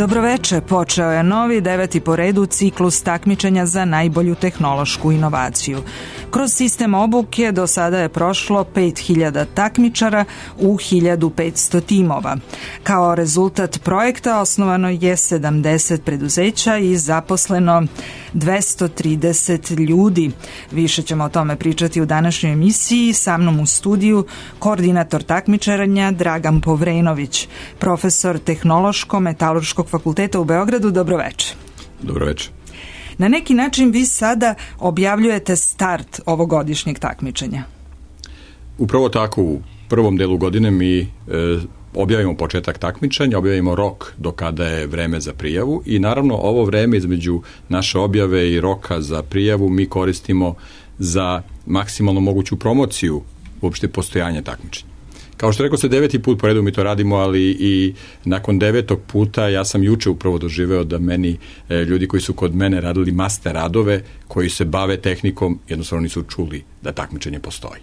Dobroveče, počeo je novi 9. po redu ciklus takmičenja za najbolju tehnološku inovaciju. Kroz sistem obuke do sada je prošlo 5000 takmičara u 1500 timova. Kao rezultat projekta osnovano je 70 preduzeća i zaposleno 230 ljudi. Više ćemo o tome pričati u današnjoj emisiji. Sa mnom u studiju koordinator takmičarenja Dragan Povrenović, profesor Tehnološko-metalurškog fakulteta u Beogradu. Dobroveče. Dobroveče. Na neki način vi sada objavljujete start ovogodišnjeg takmičenja. Upravo tako, u prvom delu godine mi objavimo početak takmičenja, objavimo rok do kada je vreme za prijavu i naravno ovo vreme između naše objave i roka za prijavu mi koristimo za maksimalno moguću promociju uopšte postojanja takmičenja. Kao što rekao se 9. put po redu mi to radimo, ali i nakon 9. puta ja sam juče upravo doživeo da meni ljudi koji su kod mene radili master radove, koji se bave tehnikom, jednostavno nisu čuli da takmičenje postoji.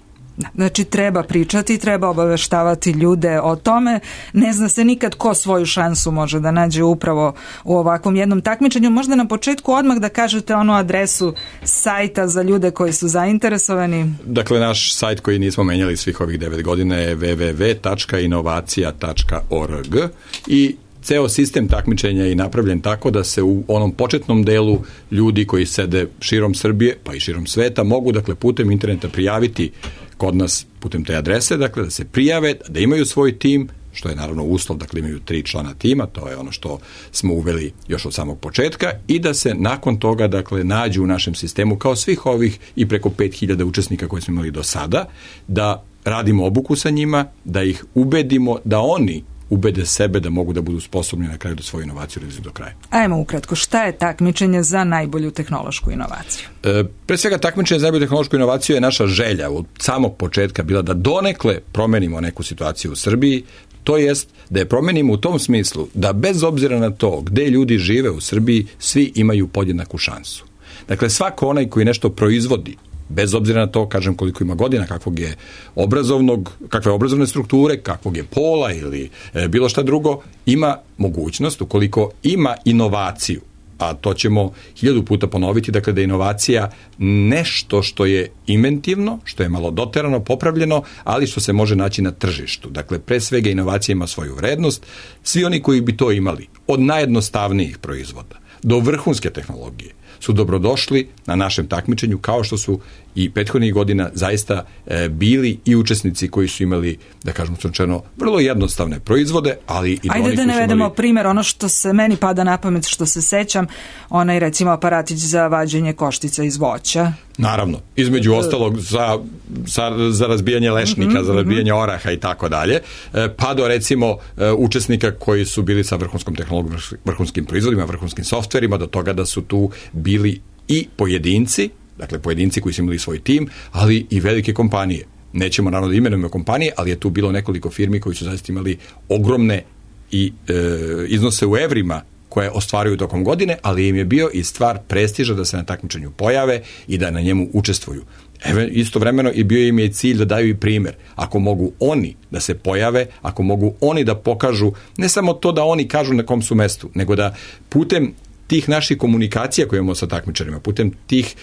Znači treba pričati, treba obaveštavati ljude o tome. Ne zna se nikad ko svoju šansu može da nađe upravo u ovakvom jednom takmičenju. Možda na početku odmah da kažete onu adresu sajta za ljude koji su zainteresovani. Dakle, naš sajt koji nismo menjali svih ovih 9 godina je www.inovacija.org i ceo sistem takmičenja je napravljen tako da se u onom početnom delu ljudi koji sede širom Srbije pa i širom sveta mogu dakle putem interneta prijaviti kod nas putem te adrese, dakle da se prijave, da imaju svoj tim, što je naravno uslov, dakle imaju 3 člana tima, to je ono što smo uveli još od samog početka i da se nakon toga dakle nađu u našem sistemu kao svih ovih i preko 5000 učesnika koje smo imali do sada, da radimo obuku sa njima, da ih ubedimo da oni ubede sebe da mogu da budu sposobni na kraju da svoju inovaciju realizuju do kraja. Ajmo ukratko, šta je takmičenje za najbolju tehnološku inovaciju? Pre svega takmičenje za najbolju tehnološku inovaciju je naša želja od samog početka bila da donekle promenimo neku situaciju u Srbiji, to jest da je promenimo u tom smislu da bez obzira na to gde ljudi žive u Srbiji, svi imaju podjednaku šansu. Dakle, svako onaj koji nešto proizvodi, bez obzira na to, kažem, koliko ima godina, kakve obrazovne strukture, kakvog je pola ili bilo šta drugo, ima mogućnost, ukoliko ima inovaciju, a to ćemo 1000 puta ponoviti, dakle da je inovacija nešto što je inventivno, što je malo doterano, popravljeno, ali što se može naći na tržištu. Dakle, pre svega inovacija ima svoju vrednost. Svi oni koji bi to imali, od najjednostavnijih proizvoda do vrhunske tehnologije, su dobrodošli na našem takmičenju, kao što su i prethodnih godina zaista bili i učesnici koji su imali, da kažemo slučajno, vrlo jednostavne proizvode, ali i Ajde da navedemo primjer, ono što se meni pada na pamet, što se sećam, onaj recimo aparatić za vađenje koštica iz voća. Naravno, između ostalog za razbijanje lešnika, za razbijanje oraha i tako dalje, pa do recimo učesnika koji su bili sa vrhunskom tehnologijom, vrhunskim proizvodima, vrhunskim softverima, do toga da su tu bili i pojedinci, dakle pojedinci koji su imali svoj tim, ali i velike kompanije. Nećemo naravno da imenujemo kompanije, ali je tu bilo nekoliko firmi koji su zaista imali ogromne i iznose u evrima koje ostvaruju tokom godine, ali im je bio i stvar prestiža da se na takmičenju pojave i da na njemu učestvuju. Istovremeno i bio im je cilj da daju i primjer. Ako mogu oni da se pojave, ako mogu oni da pokažu, ne samo to da oni kažu na kom su mestu, nego da putem tih naših komunikacija koje imamo sa takmičarima, putem tih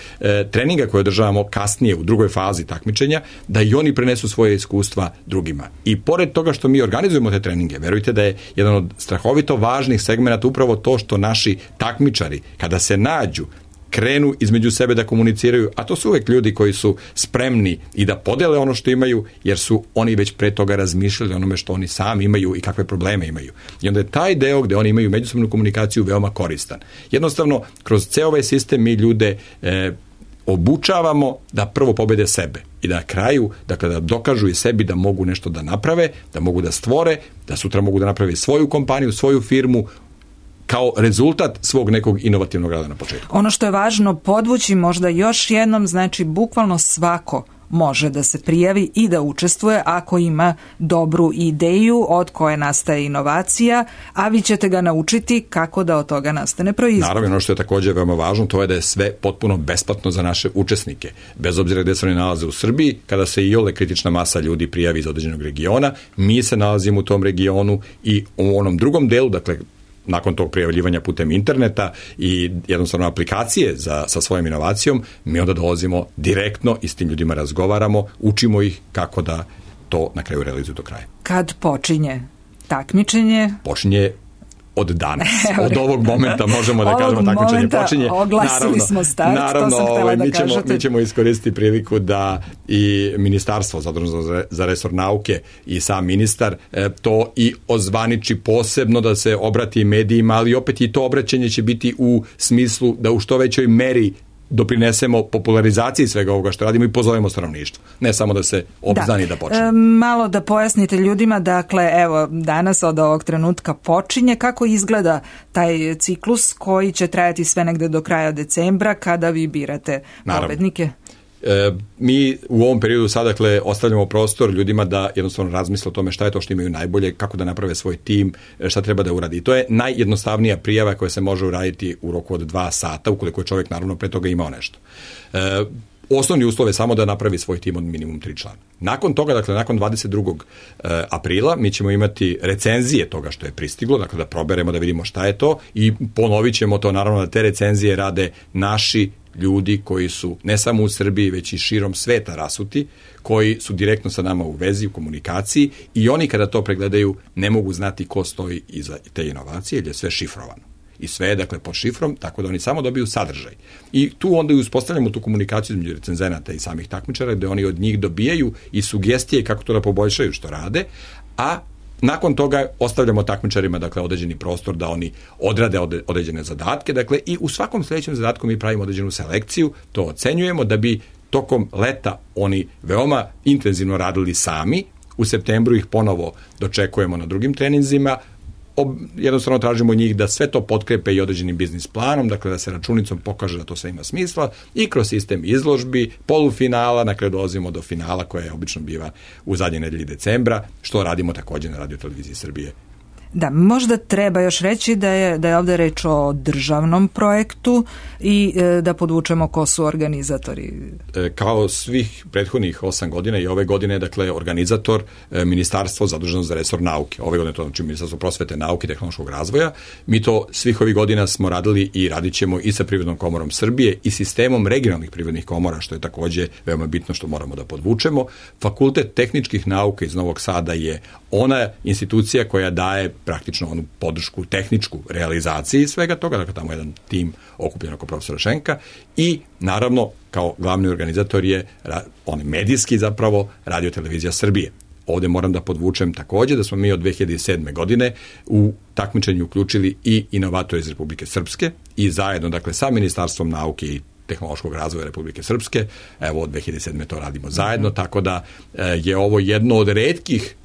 treninga koje održavamo kasnije u drugoj fazi takmičenja, da i oni prenesu svoje iskustva drugima. I pored toga što mi organizujemo te treninge, verujte da je jedan od strahovito važnih segmenata upravo to što naši takmičari, kada se nađu, krenu između sebe da komuniciraju, a to su uvek ljudi koji su spremni i da podele ono što imaju, jer su oni već pre toga razmišljali onome što oni sami imaju i kakve probleme imaju. I onda je taj deo gde oni imaju međusobnu komunikaciju veoma koristan. Jednostavno, kroz ceo ovaj sistem mi ljude obučavamo da prvo pobede sebe i da na kraju, dakle, da dokažu i sebi da mogu nešto da naprave, da mogu da stvore, da sutra mogu da naprave svoju kompaniju, svoju firmu, kao rezultat svog nekog inovativnog rada na početku. Ono što je važno podvući možda još jednom, znači bukvalno svako može da se prijavi i da učestvuje ako ima dobru ideju od koje nastaje inovacija, a vi ćete ga naučiti kako da od toga nastane proizvod. Naravno, ono što je također veoma važno, to je da je sve potpuno besplatno za naše učesnike. Bez obzira gde se oni nalaze u Srbiji, kada se iole kritična masa ljudi prijavi iz određenog regiona, mi se nalazimo u tom regionu i u onom drugom delu, dakle nakon tog prijavljivanja putem interneta i jednostavno aplikacije sa svojom inovacijom, mi onda dolazimo direktno i s tim ljudima razgovaramo, učimo ih kako da to na kraju realizuju do kraja. Kad počinje takmičenje? Počinje od danas. Od ovog momenta možemo da kažemo takmičenje počinje. Oglasili smo start, to sam htjela da kažete. Mi ćemo iskoristiti priliku da i ministarstvo zaduženo za resor nauke i sam ministar to i ozvaniči posebno, da se obrati medijima, ali opet i to obraćanje će biti u smislu da u što većoj meri doprinesemo popularizaciji svega ovoga što radimo i pozovemo stanovništvo. Ne samo da se obznani da počne. Malo da pojasnite ljudima, dakle, evo, danas od ovog trenutka počinje. Kako izgleda taj ciklus koji će trajati sve negde do kraja decembra kada vi birate pobednike? Mi u ovom periodu sad, dakle, ostavljamo prostor ljudima da jednostavno razmisle o tome šta je to što imaju najbolje, kako da naprave svoj tim, šta treba da uradi. I to je najjednostavnija prijava koja se može uraditi u roku od 2 sata, ukoliko je čovjek naravno pre toga imao nešto. Osnovni uslov je samo da napravi svoj tim od minimum 3 člana. Nakon toga, dakle, nakon 22. aprila, mi ćemo imati recenzije toga što je pristiglo, dakle da proberemo, da vidimo šta je to i ponovit ćemo to, naravno da te recenzije rade naši ljudi koji su ne samo u Srbiji, već i širom sveta rasuti, koji su direktno sa nama u vezi, u komunikaciji i oni kada to pregledaju ne mogu znati ko stoji iza te inovacije, jer je sve šifrovano. I sve je, dakle, pod šifrom, tako da oni samo dobiju sadržaj. I tu onda i uspostavljamo tu komunikaciju između recenzenata i samih takmičara, gde oni od njih dobijaju i sugestije kako to da poboljšaju što rade, a nakon toga ostavljamo takmičarima, dakle, određeni prostor da oni odrade određene zadatke, dakle, i u svakom sljedećem zadatku mi pravimo određenu selekciju, to ocenjujemo da bi tokom leta oni veoma intenzivno radili sami. U septembru ih ponovo dočekujemo na drugim treninzima, jednostavno tražimo njih da sve to potkrepe i određenim biznis planom, dakle da se računicom pokaže da to sve ima smisla i kroz sistem izložbi, polufinala, na kraju dolazimo do finala koja je obično biva u zadnjoj nedelji decembra, što radimo također na Radio-televiziji Srbije. Da, možda treba još reći da je ovdje reč o državnom projektu i da podvučemo ko su organizatori. Kao svih prethodnih 8 godina i ove godine, dakle, organizator ministarstvo zaduženo za resor nauke. Ove godine to znači Ministarstvo prosvete, nauke i tehnološkog razvoja. Mi to svih ovih godina smo radili i radit ćemo i sa Privrednom komorom Srbije i sistemom regionalnih privrednih komora, što je također veoma bitno što moramo da podvučemo. Fakultet tehničkih nauka iz Novog Sada je ona institucija koja daje praktično onu podršku tehničku realizaciji svega toga, dakle tamo je jedan tim okupljen oko profesora Šenka i naravno kao glavni organizator je on medijski zapravo Radio-televizija Srbije. Ovdje moram da podvučem također da smo mi od 2007. godine u takmičenju uključili i inovatore iz Republike Srpske i zajedno, dakle, sa Ministarstvom nauke i tehnološkog razvoja Republike Srpske, evo od 2007. to radimo zajedno, tako da je ovo jedno od retkih,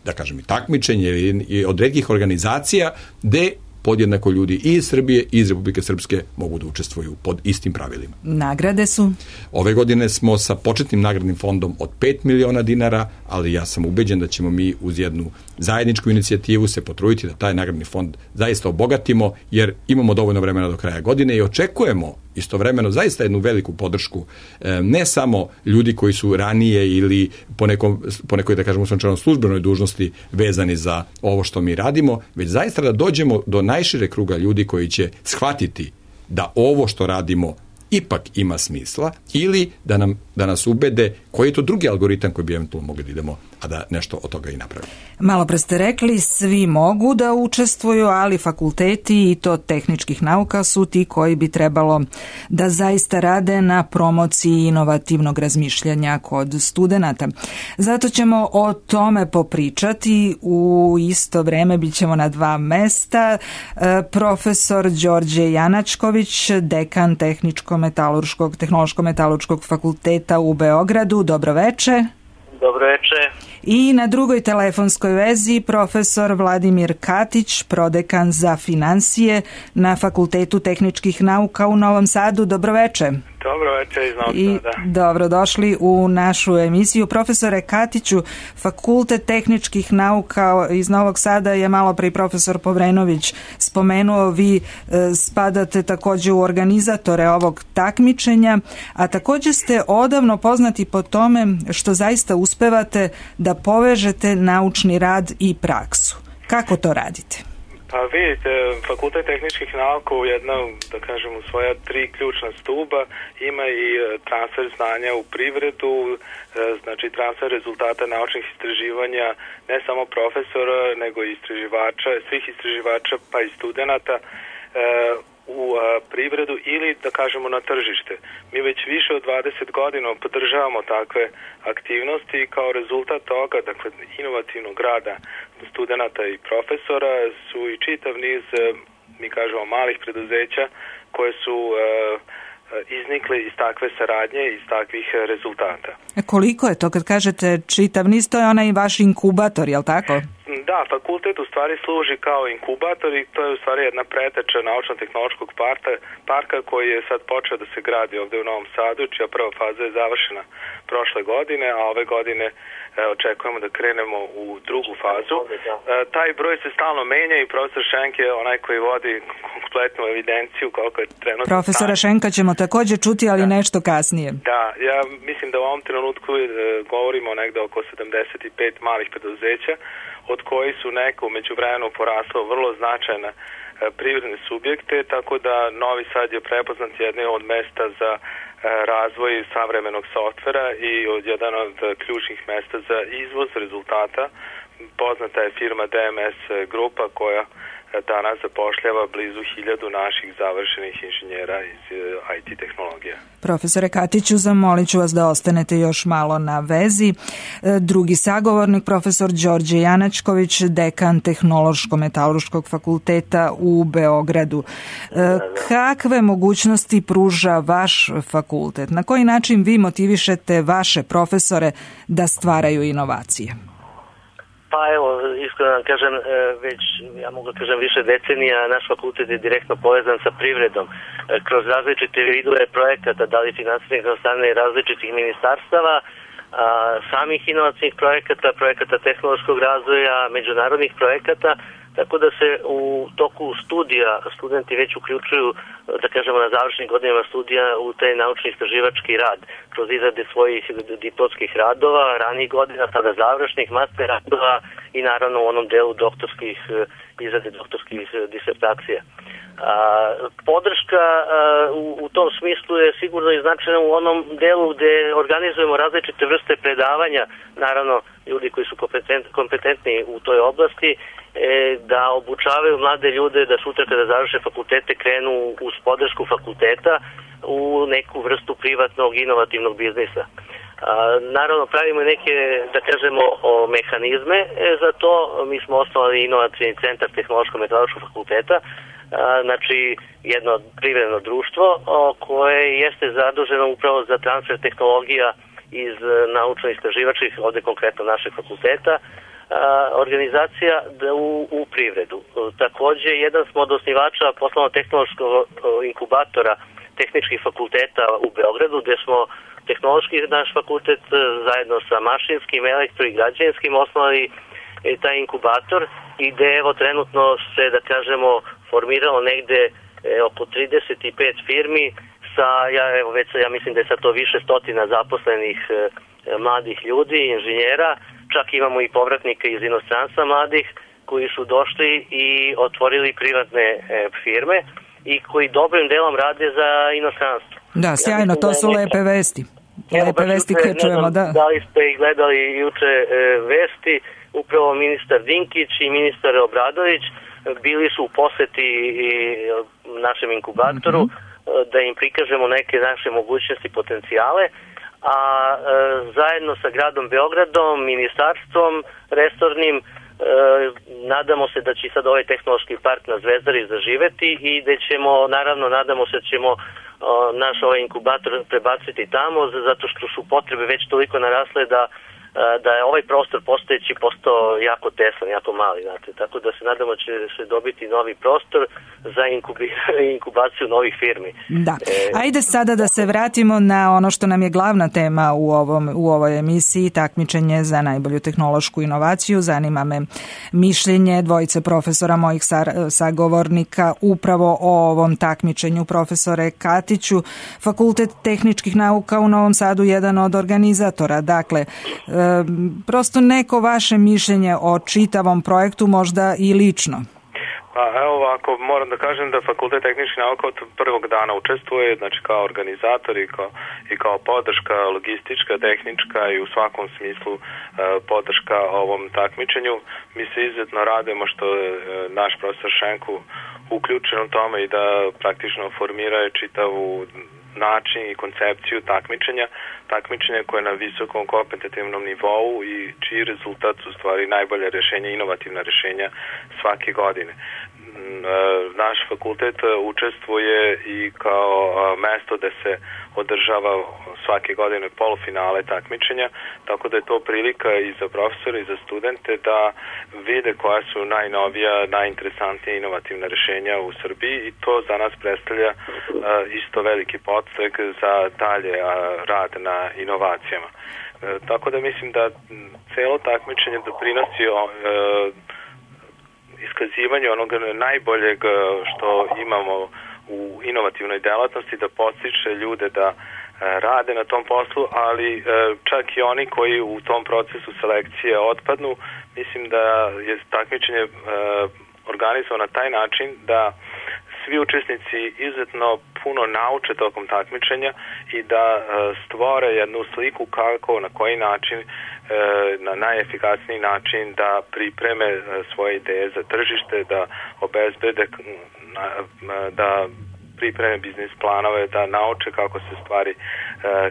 da kažem, i takmičenje i od retkih organizacija gde podjednako ljudi i iz Srbije i iz Republike Srpske mogu da učestvuju pod istim pravilima. Nagrade su? Ove godine smo sa početnim nagradnim fondom od 5 miliona dinara, ali ja sam ubeđen da ćemo mi uz jednu zajedničku inicijativu se potruditi da taj nagradni fond zaista obogatimo, jer imamo dovoljno vremena do kraja godine i očekujemo istovremeno zaista jednu veliku podršku, ne samo ljudi koji su ranije ili po nekoj, da kažemo, službenoj dužnosti vezani za ovo što mi radimo, već zaista da dođemo do najšire kruga ljudi koji će shvatiti da ovo što radimo ipak ima smisla ili da nas ubede koji je to drugi algoritam koji bi eventualno mogli da idemo, a da nešto od toga i napravimo. Malo pre ste rekli, svi mogu da učestvuju, ali fakulteti i to tehničkih nauka su ti koji bi trebalo da zaista rade na promociji inovativnog razmišljanja kod studenata. Zato ćemo o tome popričati. U isto vreme bit ćemo na 2 mesta. Profesor Đorđe Janačković, dekan Tehnološko-metalurškog fakulteta u Beogradu. Dobroveče. Dobroveče. I na drugoj telefonskoj vezi profesor Vladimir Katić, prodekan za finansije na Fakultetu tehničkih nauka u Novom Sadu. Dobroveče. Dobroveče iz Novog Sada. Dobrodošli u našu emisiju. Profesore Katiću, Fakultet tehničkih nauka iz Novog Sada je malo pre profesor Povrenović spomenuo, vi spadate također u organizatore ovog takmičenja, a također ste odavno poznati po tome što zaista uspevate da povežete naučni rad i praksu. Kako to radite? Pa vidite, Fakultet tehničkih nauka u jedna, da kažem, u svoja 3 ključna stuba ima i transfer znanja u privredu, znači transfer rezultata naučnih istraživanja ne samo profesora, nego i istraživača, svih istraživača pa i studenata u privredu ili, da kažemo, na tržište. Mi već više od 20 godina podržavamo takve aktivnosti i kao rezultat toga, dakle, inovativnog rada studenata i profesora su i čitav niz, mi kažemo, malih preduzeća koje su iznikle iz takve saradnje, iz takvih rezultata. Koliko je to kad kažete čitav niz, to je onaj vaš inkubator, je li tako? Da, fakultet u stvari služi kao inkubator i to je u stvari jedna preteča naučno-tehnološkog parka koji je sad počeo da se gradi ovde u Novom Sadu, čija prva faza je završena prošle godine, a ove godine očekujemo da krenemo u drugu fazu. Taj broj se stalno menja i profesor Šenk je onaj koji vodi kompletnu evidenciju koliko je trenutno. Profesora Šenka ćemo također čuti, ali nešto kasnije. Da, ja mislim da u ovom trenutku govorimo negde oko 75 malih preduzeća, od koji su neka u međuvremenu porasla vrlo značajna privredne subjekte, tako da Novi Sad je prepoznat jednim od mesta za razvoj savremenog softvera i jedan od ključnih mesta za izvoz rezultata. Poznata je firma DMS Grupa koja danas zapošljava blizu 1000 naših završenih inženjera iz IT tehnologija. Profesore Katiću, zamolit ću vas da ostanete još malo na vezi. Drugi sagovornik, profesor Đorđe Janačković, dekan Tehnološko-metalurškog fakulteta u Beogradu. Kakve mogućnosti pruža vaš fakultet? Na koji način vi motivišete vaše profesore da stvaraju inovacije? Pa evo, iskreno vam kažem, već, ja mogu kažem, više decenija naš fakultet je direktno povezan sa privredom. Kroz različite vidove projekata, da li finansiranih od strane različitih ministarstava, samih inovacijnih projekata tehnološkog razvoja, međunarodnih projekata, tako da se u toku studija studenti već uključuju, da kažemo, na završnim godinama studija u taj naučni istraživački rad, kroz izrade svojih diplomskih radova, ranijih godina, sada završnih master radova i naravno u onom delu izrade doktorskih disertacija. Podrška u tom smislu je sigurno i značajna u onom delu gde organizujemo različite vrste predavanja, naravno ljudi koji su kompetentni u toj oblasti, da obučavaju mlade ljude da sutra kada završe fakultete krenu uz podršku fakulteta u neku vrstu privatnog inovativnog biznisa. Naravno pravimo neke, da kažemo, mehanizme za to. Mi smo osnovali inovacijni centar Tehnološko-metalurškog fakulteta, znači jedno privredno društvo koje jeste zaduženo upravo za transfer tehnologija iz naučno-istraživačkih, ovde konkretno našeg fakulteta, organizacija u privredu. Takođe, jedan smo od osnivača poslovno-tehnološkog inkubatora tehničkih fakulteta u Beogradu, gde smo tehnološki naš fakultet zajedno sa mašinskim, elektro i građevinskim osnovali taj inkubator i gde evo trenutno se, da kažemo, formiralo negde oko 35 firmi sa, ja mislim da je sad to više stotina zaposlenih mladih ljudi, inženjera. Čak imamo i povratnika iz inostranstva mladih koji su došli i otvorili privatne firme i koji dobrim delom rade za inostranstvo. Da, sjajno, to su lepe vesti. Lepe vesti koje čujemo, da. Da li ste i gledali juče vesti, upravo ministar Dinkić i ministar Obradović bili su u poseti našem inkubatoru da im prikažemo neke naše mogućnosti i potencijale, a zajedno sa gradom Beogradom, ministarstvom resornim, nadamo se da će sad ovaj tehnološki park na Zvezdari zaživeti i da ćemo, naravno, nadamo se da ćemo naš ovaj inkubator prebaciti tamo, zato što su potrebe već toliko narasle da je ovaj prostor postojeći postao jako tesan, jako mali, znate. Tako da se nadamo da će se dobiti novi prostor za inkubaciju novih firmi. Da. Ajde sada da se vratimo na ono što nam je glavna tema u ovoj emisiji, takmičenje za najbolju tehnološku inovaciju. Zanima me mišljenje dvojice profesora, mojih sagovornika, upravo o ovom takmičenju. Profesore Katiću, Fakultet tehničkih nauka u Novom Sadu, jedan od organizatora. Dakle, prosto neko vaše mišljenje o čitavom projektu, možda i lično. Pa evo ovako, moram da kažem da Fakultet tehničkih nauka od prvog dana učestvuje, znači kao organizator i kao podrška logistička, tehnička i u svakom smislu podrška ovom takmičenju. Mi se izuzetno radujemo što je naš profesor Šenku uključen u tome i da praktično formira čitavu način i koncepciju takmičenja koje je na visokom kompetitivnom nivou i čiji rezultat su stvari najbolje rješenja, inovativna rješenja svake godine. Naš fakultet učestvuje i kao mesto da se održava svake godine polufinale takmičenja, tako da je to prilika i za profesore i za studente da vide koja su najnovija, najinteresantnija inovativna rješenja u Srbiji i to za nas predstavlja isto veliki podstrek za dalje rad na inovacijama. Tako da mislim da celo takmičenje doprinosi iskazivanje onog najboljeg što imamo u inovativnoj delatnosti, da podstiče ljude da rade na tom poslu, ali čak i oni koji u tom procesu selekcije otpadnu, mislim da je takmičenje organizovano na taj način da svi učesnici izuzetno puno nauče tokom takmičenja i da stvore jednu sliku kako, na koji način, na najefikasniji način da pripreme svoje ideje za tržište, da obezbede, da pripreme biznis planove, da nauče kako se stvari,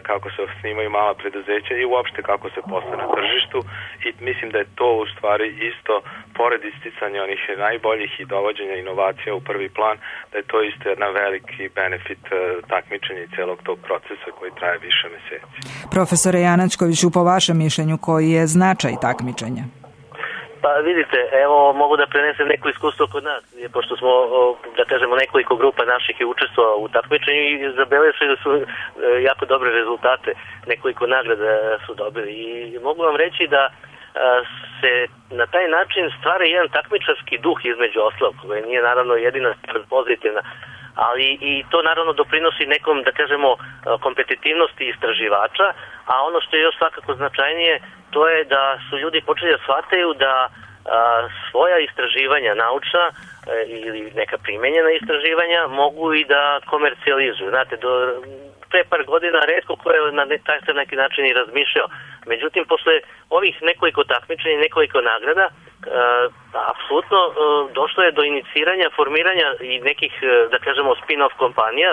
kako se osnivaju mala preduzeća i uopšte kako se posle na tržištu i mislim da je to u stvari isto, pored isticanja onih najboljih i dovođenja inovacija u prvi plan, da je to isto jedan veliki benefit takmičenja i celog tog procesa koji traje više meseci. Profesore Janačkoviću, po vašem mišljenju, koji je značaj takmičenja? Pa vidite, evo mogu da prenesem neko iskustvo kod nas, pošto smo, da kažemo, nekoliko grupa naših je učestvovao u takmičenju i zabeležili da su jako dobre rezultate, nekoliko nagrada su dobili i mogu vam reći da se na taj način stvara jedan takmičarski duh između ostalog, koji nije naravno jedina pozitivna, ali i to naravno doprinosi nekom, da kažemo, kompetitivnosti istraživača, a ono što je još svakako značajnije, to je da su ljudi počeli da shvataju da svoja istraživanja naučna ili neka primenjena istraživanja mogu i da komercijalizuju. Znate, pre par godina retko ko je na neki način i razmišljao. Međutim, posle ovih nekoliko takmičenja i nekoliko nagrada, apsolutno došlo je do iniciranja, formiranja i nekih, da kažemo, spin-off kompanija,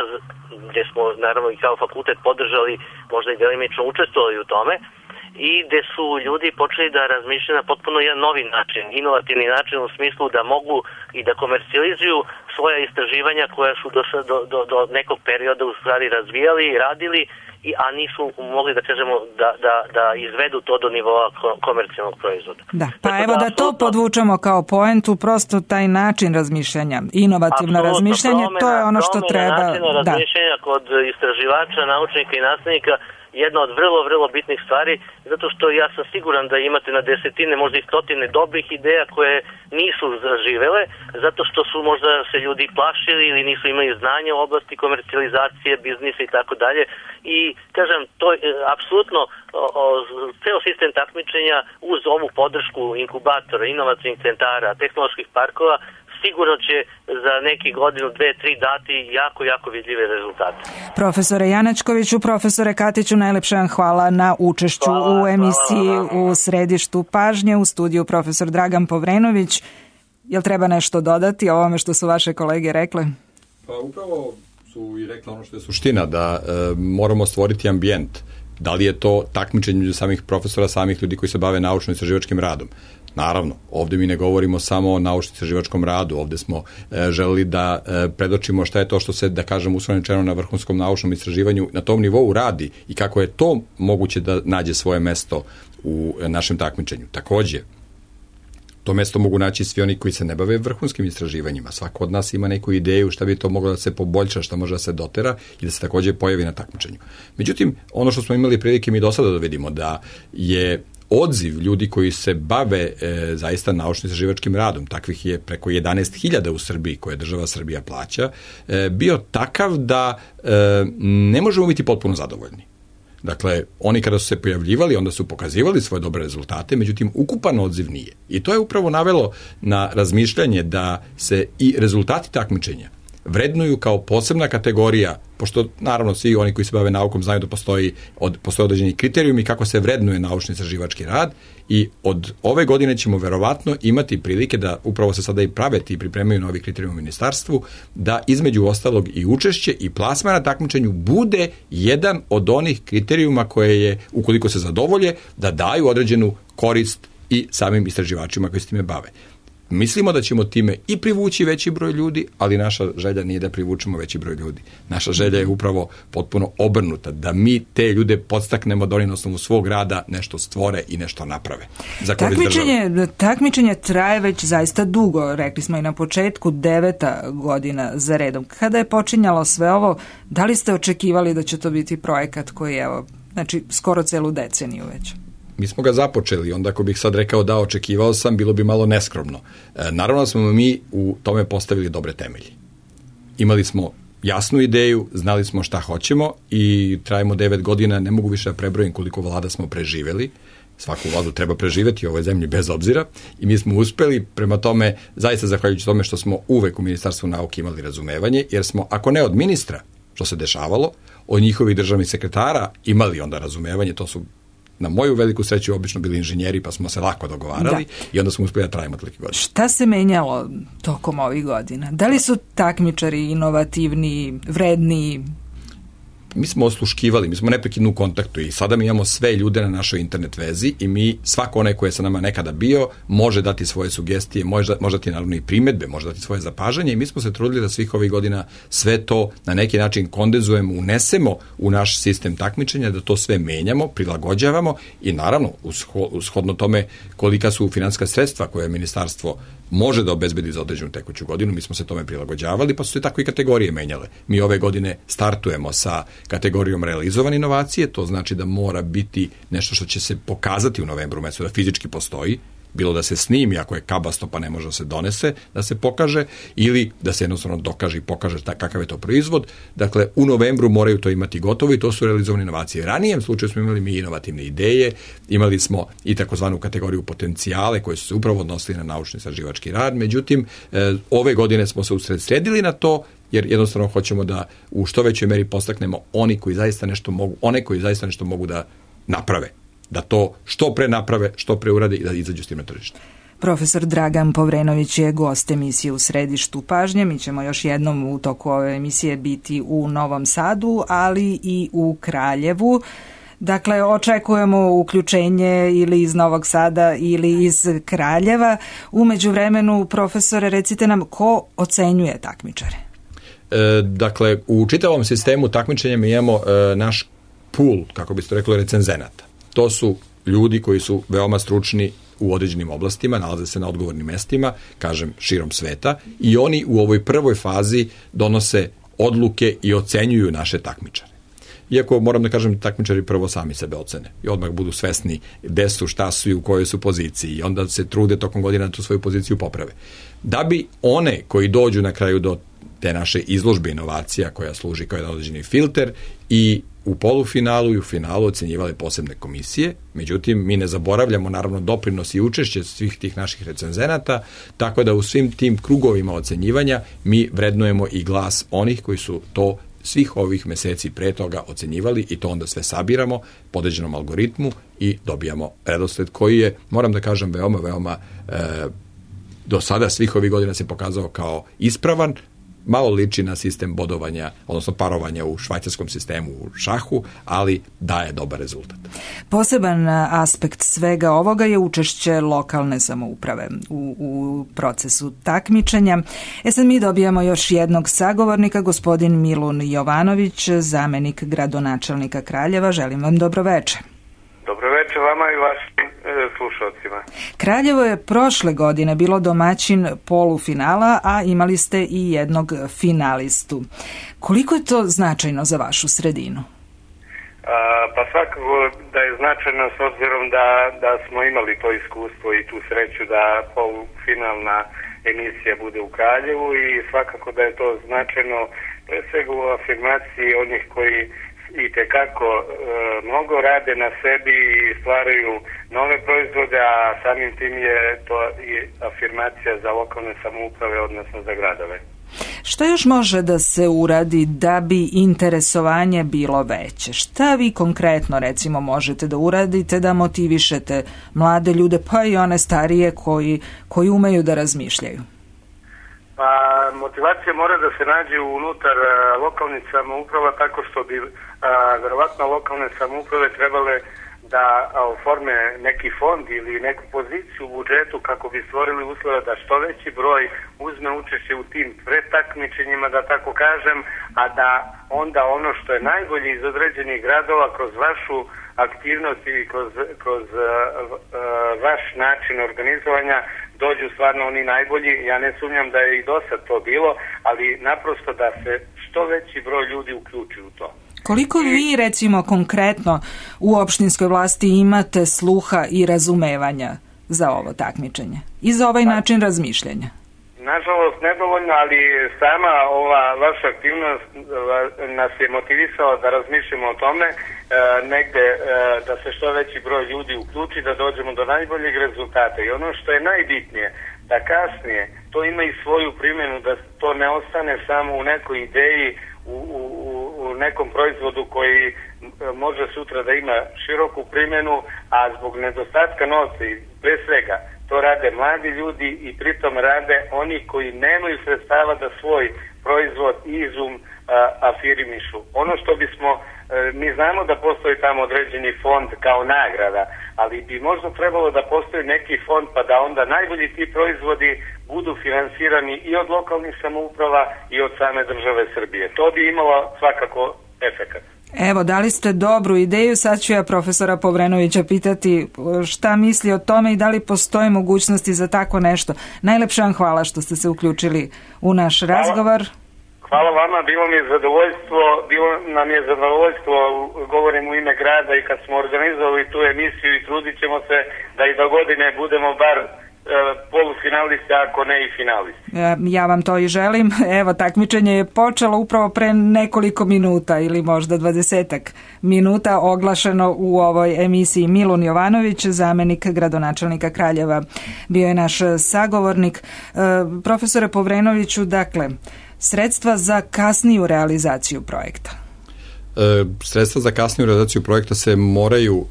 gde smo naravno i kao fakultet podržali, možda i delimično učestvovali u tome, i gde su ljudi počeli da razmišljaju na potpuno jedan novi način, inovativni način u smislu da mogu i da komercijalizuju svoja istraživanja koja su do nekog perioda u stvari razvijali i radili, a nisu mogli, da kažemo, da izvedu to do nivoa komercijalnog proizvoda. Da, pa evo da to podvučemo kao poentu, prosto taj način razmišljanja, inovativno razmišljanje, to je ono što treba. Načina razmišljanja kod istraživača, naučnika i nastavnika jedna od vrlo bitnih stvari, zato što ja sam siguran da imate na desetine, možda i stotine dobrih ideja koje nisu zaživele, zato što su možda se ljudi plašili ili nisu imali znanja u oblasti komercijalizacije, biznisa i tako dalje. I kažem, to je apsolutno ceo sistem takmičenja uz ovu podršku inkubatora, inovacijnih centara, tehnoloških parkova, sigurno će za neki godinu, 2-3 dati jako vidljive rezultate. Profesore Janačkoviću, profesore Katiću, najlepše vam hvala na učešću u emisiji u Središtu pažnje. U studiju profesor Dragan Povrenović. Jel treba nešto dodati o ovome što su vaše kolege rekle? Pa upravo su i rekla ono što je suština, da moramo stvoriti ambijent. Da li je to takmičenje među samih profesora, samih ljudi koji se bave naučno-istraživačkim radom? Naravno, ovdje mi ne govorimo samo o naučno-istraživačkom radu, ovdje smo želeli da predočimo šta je to što se, da kažem, uslovno na vrhunskom naučnom istraživanju na tom nivou radi i kako je to moguće da nađe svoje mesto u našem takmičenju. Također, to mesto mogu naći svi oni koji se ne bave vrhunskim istraživanjima. Svako od nas ima neku ideju šta bi to moglo da se poboljša, šta može da se dotera i da se također pojavi na takmičenju. Međutim, ono što smo imali prilike mi do sada da vidimo, da je odziv ljudi koji se bave zaista naučno-istraživačkim radom, takvih je preko 11.000 u Srbiji koje država Srbija plaća, bio takav da ne možemo biti potpuno zadovoljni. Dakle, oni kada su se pojavljivali, onda su pokazivali svoje dobre rezultate, međutim, ukupan odziv nije. I to je upravo navelo na razmišljanje da se i rezultati takmičenja vrednuju kao posebna kategorija, pošto naravno svi oni koji se bave naukom znaju da postoje određeni kriterijumi kako se vrednuje naučni istraživački rad i od ove godine ćemo verovatno imati prilike da upravo se sada i prave i pripremaju novi kriterijumi u ministarstvu, da između ostalog i učešće i plasman na takmičenju bude jedan od onih kriterijuma koje je, ukoliko se zadovolje, da daju određenu korist i samim istraživačima koji se time bave. Mislimo da ćemo time i privući veći broj ljudi, ali naša želja nije da privučemo veći broj ljudi. Naša želja je upravo potpuno obrnuta, da mi te ljude podstaknemo da oni na osnovu svog rada nešto stvore i nešto naprave. Takmičenje traje već zaista dugo, rekli smo i na početku, 9. godina za redom. Kada je počinjalo sve ovo, da li ste očekivali da će to biti projekat koji je, znači, skoro celu deceniju već? Mi smo ga započeli, onda ako bih sad rekao da očekivao sam, bilo bi malo neskromno. Naravno smo mi u tome postavili dobre temelje. Imali smo jasnu ideju, znali smo šta hoćemo i trajimo 9 godina, ne mogu više da prebrojim koliko vlada smo preživeli. Svaku vladu treba preživeti u ovoj zemlji bez obzira i mi smo uspeli, prema tome, zaista zahvaljujući tome što smo uvek u Ministarstvu nauke imali razumevanje, jer smo, ako ne od ministra, što se dešavalo, od njihovih državnih sekretara imali onda razumevanje, to su na moju veliku sreću obično bili inženjeri, pa smo se lako dogovarali i onda smo uspeli da trajimo toliko godina. Šta se menjalo tokom ovih godina? Da li su takmičari inovativni, vredni? Mi smo osluškivali, mi smo neprekidno u kontaktu i sada mi imamo sve ljude na našoj internet vezi i mi, svako onaj koji je sa nama nekada bio, može dati svoje sugestije, može dati naravno i primedbe, može dati svoje zapažanje i mi smo se trudili da svih ovih godina sve to na neki način kondenzujemo, unesemo u naš sistem takmičenja, da to sve menjamo, prilagođavamo i naravno, ushodno tome kolika su finansijska sredstva koje ministarstvo može da obezbedi za određenu tekuću godinu, mi smo se tome prilagođavali, pa su se tako i kategorije menjale. Mi ove godine startujemo sa kategorijom realizovane inovacije, to znači da mora biti nešto što će se pokazati u novembru mesecu, da fizički postoji, bilo da se snimi, ako je kabasto pa ne može da se donese, da se pokaže, ili da se jednostavno dokaže i pokaže kakav je to proizvod. Dakle, u novembru moraju to imati gotovo i to su realizovane inovacije. U ranijem slučaju smo imali mi inovativne ideje, imali smo i takozvanu kategoriju potencijale koje su se upravo odnosili na naučni istraživački rad, međutim, ove godine smo se usredsredili na to, jer jednostavno hoćemo da u što većoj meri postaknemo one koji zaista nešto mogu da naprave, da to što pre naprave, što pre urade i da izađu s tim na tržište. Profesor Dragan Povrenović je gost emisije U središtu pažnje. Mi ćemo još jednom u toku ove emisije biti u Novom Sadu, ali i u Kraljevu. Dakle, očekujemo uključenje ili iz Novog Sada ili iz Kraljeva. U međuvremenu, profesore, recite nam ko ocenjuje takmičare? Dakle, u čitavom sistemu takmičenja mi imamo naš pool, kako biste rekli, recenzenata. To su ljudi koji su veoma stručni u određenim oblastima, nalaze se na odgovornim mestima, kažem, širom sveta, i oni u ovoj prvoj fazi donose odluke i ocenjuju naše takmičare. Iako moram da kažem, takmičari prvo sami sebe ocene i odmah budu svesni gde su, šta su i u kojoj su poziciji i onda se trude tokom godina da tu svoju poziciju poprave. Da bi one koji dođu na kraju do te naše izložbe inovacija koja služi kao jedan određeni filter i u polufinalu i u finalu ocenjivale posebne komisije, međutim mi ne zaboravljamo naravno doprinos i učešće svih tih naših recenzenata, tako da u svim tim krugovima ocenjivanja mi vrednujemo i glas onih koji su to svih ovih meseci pre toga ocenjivali i to onda sve sabiramo po određenom algoritmu i dobijamo redosled koji je, moram da kažem, veoma do sada svih ovih godina se pokazao kao ispravan. Malo liči na sistem bodovanja, odnosno parovanja u švajcarskom sistemu u šahu, ali daje dobar rezultat. Poseban aspekt svega ovoga je učešće lokalne samouprave u procesu takmičenja. Sad mi dobijamo još jednog sagovornika, gospodin Milun Jovanović, zamenik gradonačelnika Kraljeva. Želim vam dobro večer. Dobro večer vama i vašim slušalcima. Kraljevo je prošle godine bilo domaćin polufinala, a imali ste i jednog finalistu. Koliko je to značajno za vašu sredinu? Pa svakako da je značajno s obzirom da smo imali to iskustvo i tu sreću da polufinalna emisija bude u Kraljevu i svakako da je to značajno pre svega u afirmaciji onih koji i tekako mnogo rade na sebi i stvaraju nove proizvode, a samim tim je to i afirmacija za lokalne samouprave, odnosno za gradove. Što još može da se uradi da bi interesovanje bilo veće? Šta vi konkretno recimo možete da uradite da motivišete mlade ljude, pa i one starije koji umeju da razmišljaju? Pa motivacija mora da se nađe unutar lokalnih samouprava, tako što bi verovatno lokalne samouprave trebale da oforme neki fond ili neku poziciju u budžetu kako bi stvorili uslove da što veći broj uzme učešće u tim pretakmičenjima, da tako kažem, a da onda ono što je najbolje iz određenih gradova kroz vašu aktivnost i kroz vaš način organizovanja dođu stvarno oni najbolji. Ja ne sumnjam da je i do sad to bilo, ali naprosto da se što veći broj ljudi uključi u to. Koliko vi, recimo, konkretno u opštinskoj vlasti imate sluha i razumevanja za ovo takmičenje i za ovaj način razmišljanja? Nažalost, nedovoljno, ali sama ova vaša aktivnost nas je motivisala da razmišljamo o tome, negde da se što veći broj ljudi uključi, da dođemo do najboljeg rezultata. I ono što je najbitnije, da kasnije to ima i svoju primjenu, da to ne ostane samo u nekoj ideji, u nekom proizvodu koji može sutra da ima široku primjenu, a zbog nedostatka novca i pre svega to rade mladi ljudi i pritom rade oni koji nemaju sredstava da svoj proizvod i izum afirmišu. Ono što bismo, mi znamo da postoji tamo određeni fond kao nagrada, ali bi možda trebalo da postoji neki fond pa da onda najbolji ti proizvodi budu finansirani i od lokalnih samouprava i od same države Srbije. To bi imalo svakako efekat. Evo, dali ste dobru ideju, sad ću ja profesora Povrenovića pitati šta misli o tome i da li postoje mogućnosti za tako nešto. Najlepše vam hvala što ste se uključili u naš razgovor. Hvala vama, bilo nam je zadovoljstvo, govorim u ime grada i kad smo organizovali tu emisiju i trudit ćemo se da i do godine budemo bar polufinalisti, ako ne i finalisti. Ja vam to i želim. Evo, takmičenje je počelo upravo pre nekoliko minuta ili možda 20 minuta, oglašeno u ovoj emisiji. Milun Jovanović, zamenik gradonačelnika Kraljeva, bio je naš sagovornik. Profesore Povrenoviću, dakle, sredstva za kasniju realizaciju projekta? Sredstva za kasniju realizaciju projekta se moraju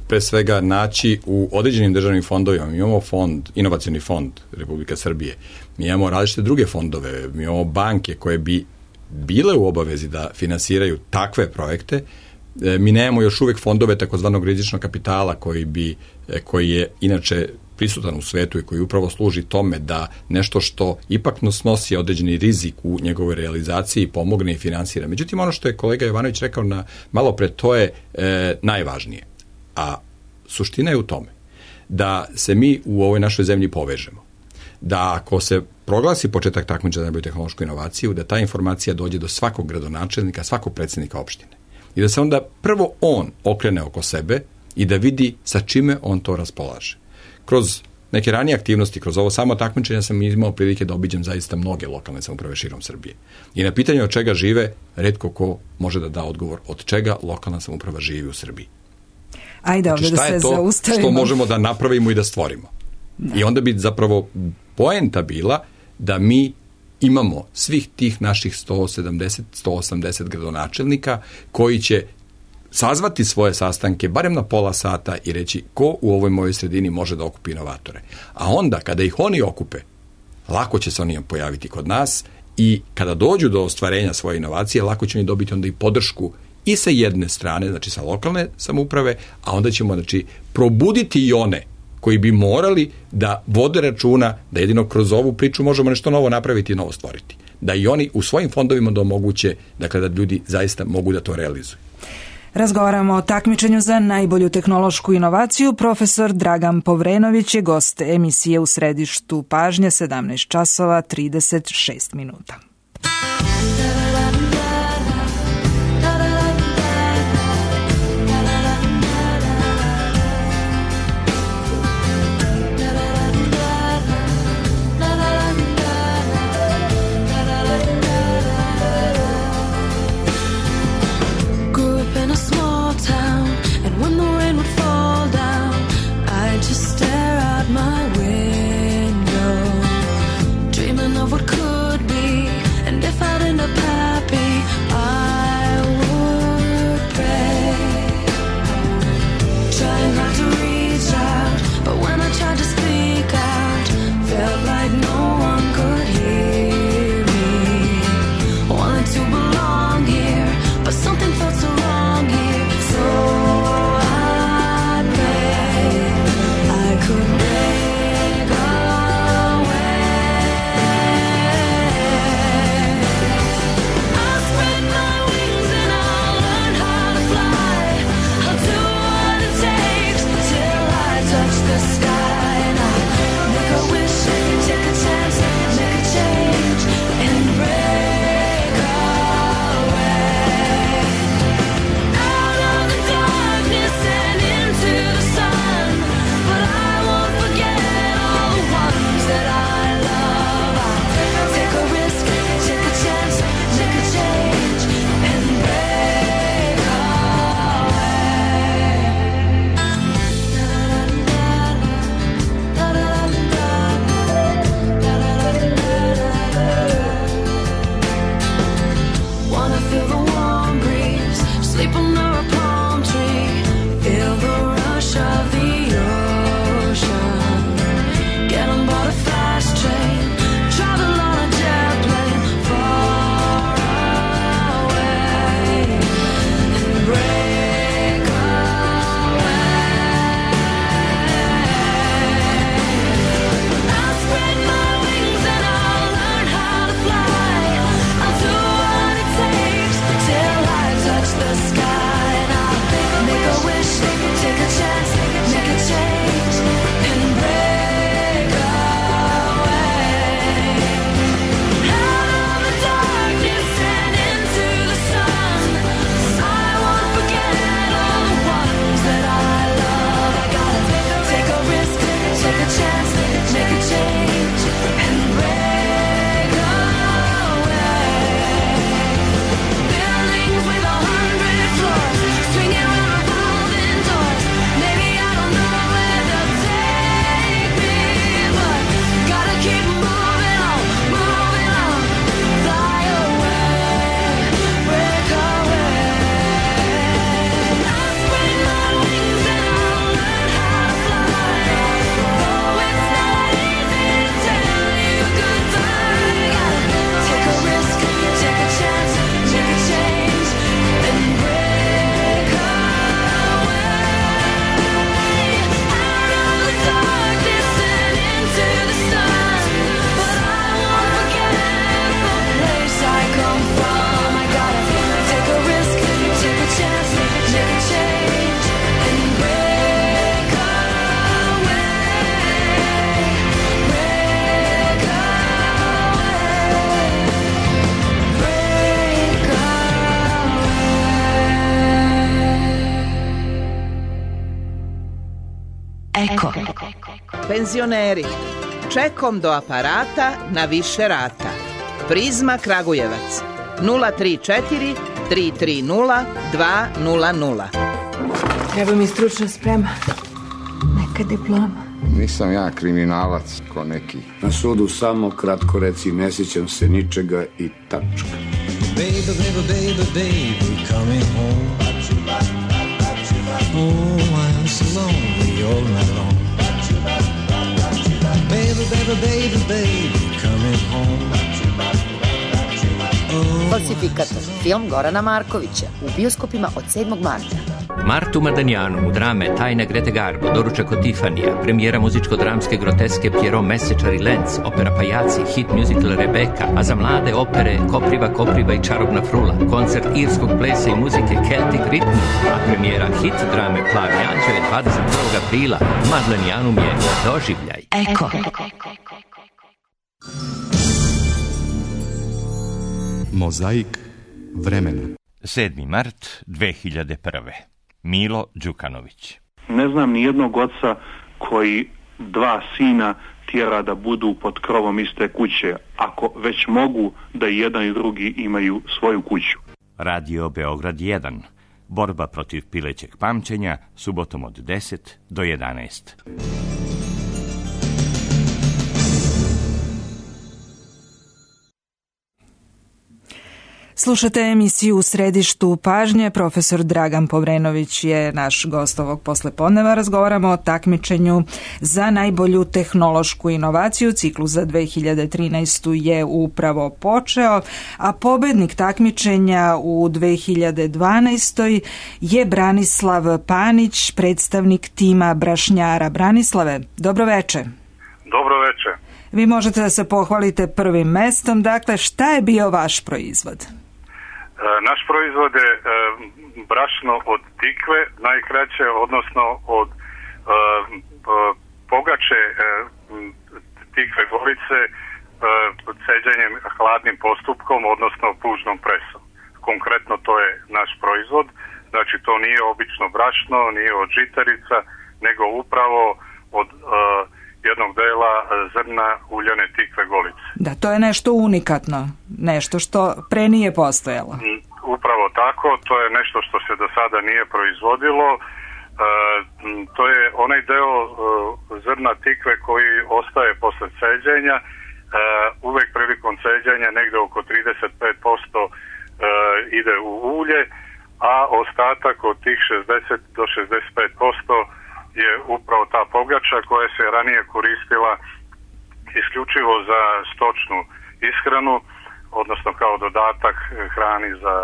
pre svega naći u određenim državnim fondovima. Mi imamo inovacioni fond Republike Srbije, mi imamo različite druge fondove, mi imamo banke koje bi bile u obavezi da finansiraju takve projekte. Mi nemamo još uvek fondove takozvanog rizičnog kapitala koji je inače prisutan u svetu i koji upravo služi tome da nešto što ipak nosi određeni rizik u njegovoj realizaciji pomogne i finansira. Međutim, ono što je kolega Jovanović rekao malo pre, to je najvažnije. A suština je u tome da se mi u ovoj našoj zemlji povežemo. Da ako se proglasi početak takmičenja za najbolju tehnološku inovaciju, da ta informacija dođe do svakog gradonačelnika, svakog predsjednika opštine. I da se onda prvo on okrene oko sebe i da vidi sa čime on to raspolaže. Kroz neke ranije aktivnosti, kroz ovo samo takmičenje sam imao prilike da obiđem zaista mnoge lokalne samouprave širom Srbije. I na pitanje od čega žive, retko ko može da da odgovor od čega lokalna samouprava živi u Srbiji. Ajde, ovdje da se zaustavimo. Šta je to što možemo da napravimo i da stvorimo? Da. I onda bi zapravo poenta bila da mi imamo svih tih naših 170-180 gradonačelnika koji će sazvati svoje sastanke barem na pola sata i reći ko u ovoj mojoj sredini može da okupi inovatore. A onda kada ih oni okupe, lako će se oni pojaviti kod nas i kada dođu do ostvarenja svoje inovacije, lako će oni dobiti onda i podršku i sa jedne strane, znači sa lokalne samouprave, a onda ćemo probuditi i one koji bi morali da vode računa da jedino kroz ovu priču možemo nešto novo napraviti i novo stvoriti. Da i oni u svojim fondovima da omoguće, dakle, da ljudi zaista mogu da to realizuju. Razgovaramo o takmičenju za najbolju tehnološku inovaciju. Profesor Dragan Povrenović je gost emisije U središtu pažnje, 17 časova 36 minuta. my window, dreaming of what could be, and if I'd end up happy, I would pray, trying not to reach out, but when I tried to speak out, felt like no one could hear me. Wanted to belong here, but something felt so wrong here. So I prayed I could break away. I'll spread my wings and I'll learn how to fly. I'll do what it takes till I touch the sky. And I'll make a wish, take a chance, make a change, and break away. Out of the darkness and into the sun, but I won't forget all the ones that I love. I'll take a risk, take a chance, make a change, and break away. Wanna feel the warm breeze, sleep under a palm tree, feel the rush of the ocean, get on board a fast train, travel on a jet plane far away, and break away. I'll spread my wings and I'll learn how to fly. I'll do what it takes till I touch the sky. And I'll make a wish, take a chance, make a change, and break away. Out of the darkness and into the sun, I won't forget all the ones that I love. I gotta take a risk, take a chance, make a change, and break away. Buildings with 100 floors, swinging around revolving doors. Maybe I don't know where they'll take me, but gotta keep moving on, fly away, break away. I'll spread my wings and I'll learn how to fly. Though it's not easy to tell you goodbye, gotta take a risk, take a chance, make a change, and break away. Out of the darkness and into the sun, but I won't forget the place I come from. I gotta take a risk, take a chance, make a change, and break away, break away, break away. Eko. Penzioneri, čekom do aparata na više rata. Prizma Kragujevac 034 330 200. Treba mi stručna sprema. Neka diploma. Nisam ja kriminalac ko neki. Na sudu samo kratko reci ne sjećam se ničega i tačka. Baby, baby, baby, baby, coming home. Oh, I'm so lonely all night long. Baby, baby, baby, baby, coming home. Falsifikator, film Gorana Markovića, u bioskopima od 7. marta. Martu Madanjanu u drame Tajna Grete Garbo, Doručak od Tifanija, premijera muzičko-dramske groteske Pierrot Mesečar i Lenz, opera Pajaci, hit musical Rebeka, a za mlade opere Kopriva i Čarobna frula, koncert irskog plesa i muzike Celtic Rhythm, a premijera hit drame Plavi anđeo je 21. aprila. Madanjanum je doživljaj. Eko. Mozaik vremena. 7. mart 2001. Milo Đukanović. Ne znam ni jednog oca koji 2 sina tjera da budu pod krovom iste kuće, ako već mogu da i jedan i drugi imaju svoju kuću. Radio Beograd 1. Borba protiv pilećeg pamćenja, subotom od 10 do 11. Slušate emisiju U središtu pažnje. Profesor Dragan Povrenović je naš gost ovog poslepodneva. Razgovaramo o takmičenju za najbolju tehnološku inovaciju. Ciklus za 2013. je upravo počeo, a pobednik takmičenja u 2012. je Branislav Panić, predstavnik tima brašnjara. Branislave, dobro veče. Dobro veče. Vi možete da se pohvalite prvim mestom. Dakle, šta je bio vaš proizvod? Naš proizvod je brašno od tikve, najkraće, odnosno od pogače tikve golice ceđenjem hladnim postupkom, odnosno pužnom presom. Konkretno to je naš proizvod, znači to nije obično brašno, nije od žitarica, nego upravo od jednog dela zrna uljane tikve golice. Da, to je nešto unikatno, nešto što pre nije postojalo. Upravo tako, to je nešto što se do sada nije proizvodilo. To je onaj deo zrna tikve koji ostaje posle ceđenja. Uvek prilikom ceđenja negde oko 35% ide u ulje, a ostatak od tih 60 do 65% je upravo ta pogača koja se ranije koristila isključivo za stočnu ishranu, odnosno kao dodatak hrani za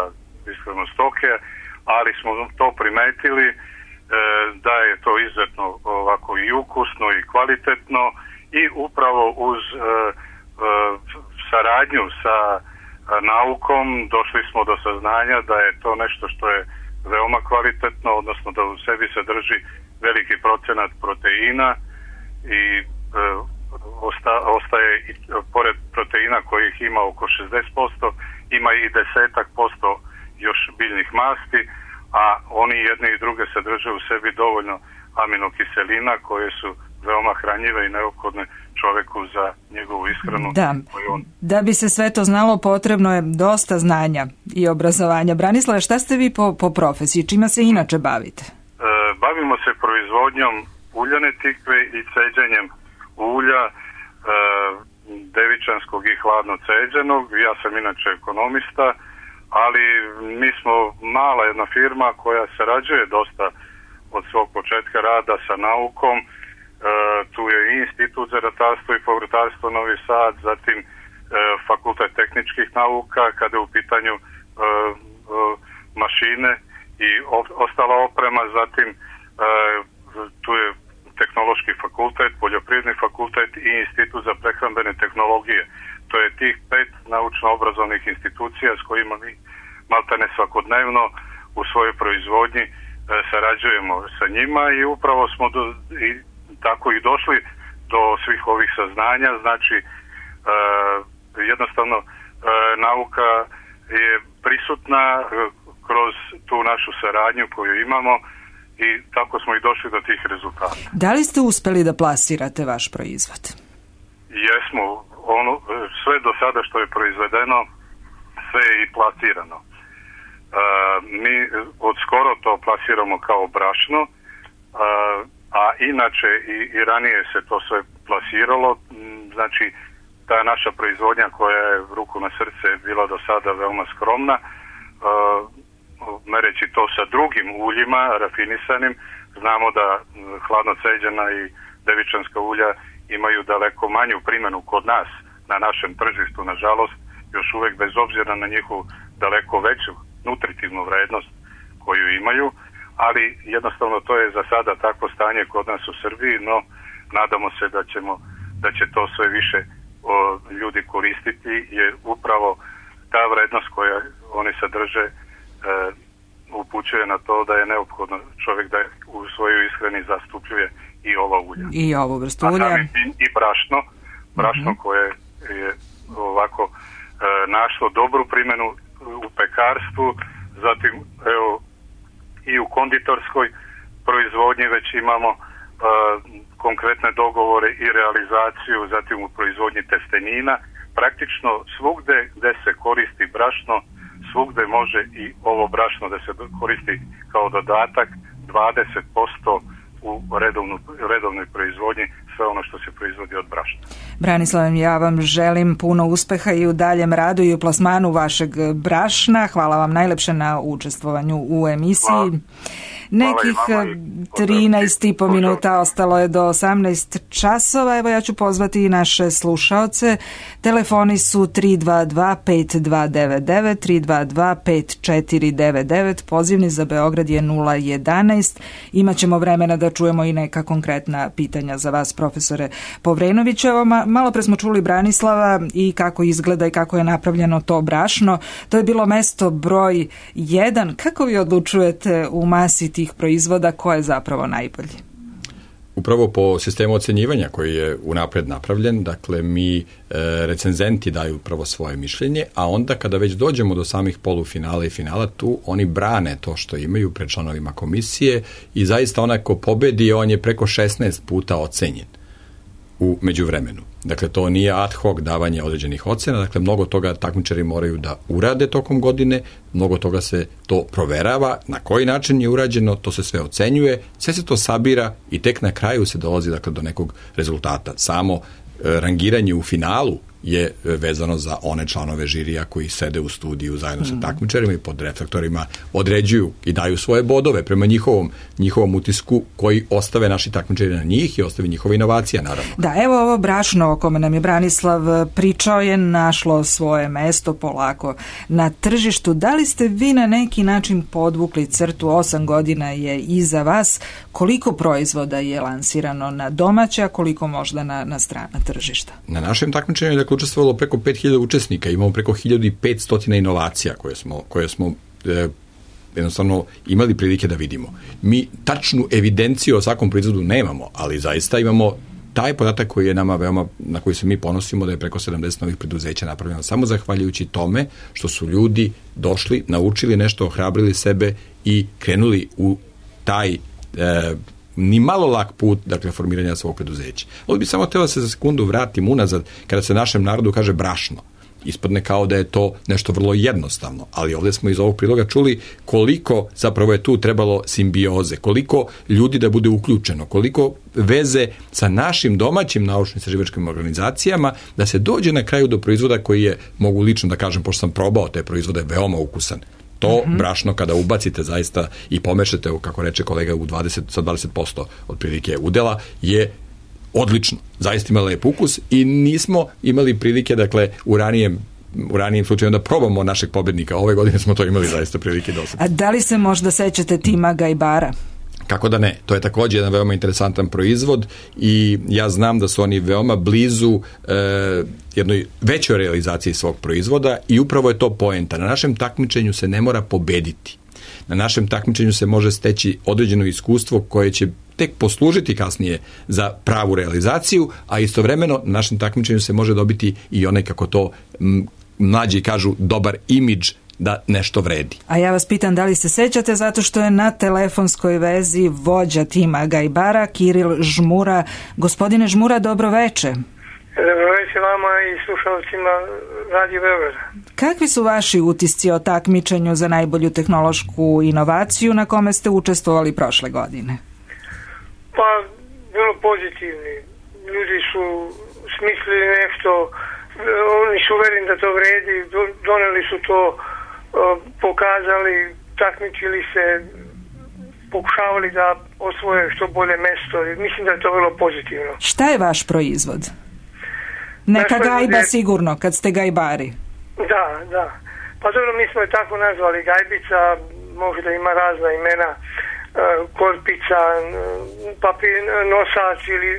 ishranu stoke, ali smo to primetili da je to izuzetno ovako i ukusno i kvalitetno i upravo uz saradnju sa naukom došli smo do saznanja da je to nešto što je veoma kvalitetno, odnosno da u sebi sadrži veliki procenat proteina i ostaje i pored proteina kojih ima oko 60%, ima i 10% još biljnih masti, a oni jedne i druge sadrže u sebi dovoljno aminokiselina koje su veoma hranjive i neophodne čoveku za njegovu ishranu. Da. Da bi se sve to znalo, potrebno je dosta znanja i obrazovanja. Branislave, šta ste vi po profesiji? Čima se inače bavite? Bavimo se proizvodnjom uljane tikve i ceđenjem ulja, devičanskog i hladno ceđenog. Ja sam inače ekonomista, ali mi smo mala jedna firma koja sarađuje dosta od svog početka rada sa naukom. Tu je i Institut za ratarstvo i povrtarstvo Novi Sad, zatim Fakultet tehničkih nauka kada je u pitanju mašine i ostala oprema, zatim tu je Tehnološki fakultet, Poljoprivredni fakultet i Institut za prehrambene tehnologije. To je tih 5 naučno-obrazovnih institucija s kojima mi maltene svakodnevno u svojoj proizvodnji sarađujemo sa njima i upravo smo tako i došli do svih ovih saznanja. Znači, jednostavno nauka je prisutna kroz tu našu saradnju koju imamo i tako smo i došli do tih rezultata. Da li ste uspeli da plasirate vaš proizvod? Jesmo. Sve do sada što je proizvedeno, sve je i plasirano. Mi od skoro to plasiramo kao brašno, a inače i ranije se to sve plasiralo. Znači, ta naša proizvodnja koja je ruku na srce bila do sada veoma skromna, mereći to sa drugim uljima rafinisanim, znamo da hladno ceđena i devičanska ulja imaju daleko manju primjenu kod nas na našem tržištu, nažalost, još uvek bez obzira na njihovu daleko veću nutritivnu vrednost koju imaju, ali jednostavno to je za sada takvo stanje kod nas u Srbiji, no nadamo se da će to sve više ljudi koristiti, jer upravo ta vrednost koja oni sadrže upućuje na to da je neophodno čovjek da u svojoj ishrani zastupljuje i ova ulja. I ovu vrstu ulja. I brašno koje je ovako našlo dobru primjenu u pekarstvu, zatim evo i u konditorskoj proizvodnji već imamo konkretne dogovore i realizaciju, zatim u proizvodnji testenina. Praktično svugde gde se koristi brašno, svugde može i ovo brašno da se koristi kao dodatak. 20% u redovnoj proizvodnji sve ono što se proizvodi od brašna. Branislav, ja vam želim puno uspeha i u daljem radu i u plasmanu vašeg brašna. Hvala vam najlepše na učestvovanju u emisiji. Hvala. Nekih 13,5 minuta ostalo je do 18 časova. Evo ja ću pozvati i naše slušaoce. Telefoni su 322-5299, 322-5499, pozivni za Beograd je 011. Imaćemo vremena da čujemo i neka konkretna pitanja za vas, profesore Povrenović. Evo, malo pre smo čuli Branislava i kako izgleda i kako je napravljeno to brašno. To je bilo mesto broj 1. Kako vi odlučujete u masi tih proizvoda ko je zapravo najbolji? Upravo po sistemu ocenjivanja koji je unapred napravljen, dakle mi recenzenti daju upravo svoje mišljenje, a onda kada već dođemo do samih polufinala i finala, tu oni brane to što imaju pred članovima komisije i zaista onaj ko pobedi, on je preko 16 puta ocenjen u međuvremenu. Dakle, to nije ad hoc davanje određenih ocena, dakle, mnogo toga takmičari moraju da urade tokom godine, mnogo toga se to proverava, na koji način je urađeno, to se sve ocenjuje, sve se to sabira i tek na kraju se dolazi, dakle, do nekog rezultata. Samo rangiranje u finalu je vezano za one članove žirija koji sede u studiju zajedno sa takmičarima i pod reflektorima određuju i daju svoje bodove prema njihovom utisku koji ostave naši takmičari na njih i ostave njihove inovacije, naravno. Da, evo ovo brašno o kome nam je Branislav pričao je našlo svoje mesto polako na tržištu. Da li ste vi na neki način podvukli crtu, 8 godina je iza vas, koliko proizvoda je lansirano na domaće, a koliko možda na strana tržišta? Na našem takmičenju je učestvovalo preko 5000 učesnika, imamo preko 1500 inovacija koje smo jednostavno imali prilike da vidimo. Mi tačnu evidenciju o svakom proizvodu nemamo, ali zaista imamo taj podatak koji je nama veoma, na koji se mi ponosimo da je preko 70 novih preduzeća napravljeno samo zahvaljujući tome što su ljudi došli, naučili nešto, ohrabrili sebe i krenuli u taj ni malo lak put, dakle, formiranja svog preduzeća. Ovdje bi samo htjela se za sekundu vratim unazad, kada se našem narodu kaže brašno. Ispadne kao da je to nešto vrlo jednostavno, ali ovdje smo iz ovog priloga čuli koliko zapravo je tu trebalo simbioze, koliko ljudi da bude uključeno, koliko veze sa našim domaćim naučno-istraživačkim organizacijama da se dođe na kraju do proizvoda koji je, mogu lično da kažem, pošto sam probao te proizvode, veoma ukusan. To brašno kada ubacite zaista i pomešate, kako reče kolega, sa 20% otprilike udela, je odlično. Zaista ima lep ukus i nismo imali prilike, dakle, u ranijim slučajima da probamo našeg pobednika. Ove godine smo to imali zaista prilike dosta. A da li se možda sećate tima Gajbara? Kako da ne? To je također jedan veoma interesantan proizvod i ja znam da su oni veoma blizu jednoj većoj realizaciji svog proizvoda i upravo je to poenta. Na našem takmičenju se ne mora pobediti. Na našem takmičenju se može steći određeno iskustvo koje će tek poslužiti kasnije za pravu realizaciju, a istovremeno na našem takmičenju se može dobiti i onaj, kako to mlađi kažu, dobar imidž da nešto vredi. A ja vas pitam da li se sećate, zato što je na telefonskoj vezi vođa tima Gajbara, Kiril Žmura. Gospodine Žmura, dobro veče. Dobro veče vama i slušalcima Radio Beograda. Kakvi su vaši utisci o takmičenju za najbolju tehnološku inovaciju na kome ste učestvovali prošle godine? Pa, bilo pozitivni. Ljudi su smislili nešto, oni su uvereni da to vredi, doneli su to, pokazali, takmičili se, pokušavali da osvoje što bolje mesto. Mislim da je to bilo pozitivno. Šta je vaš proizvod? Neka gajba sigurno, kad ste gajbari. Da. Pa dobro, mi smo je tako nazvali gajbica, može da ima razna imena, korpica, papir, nosač ili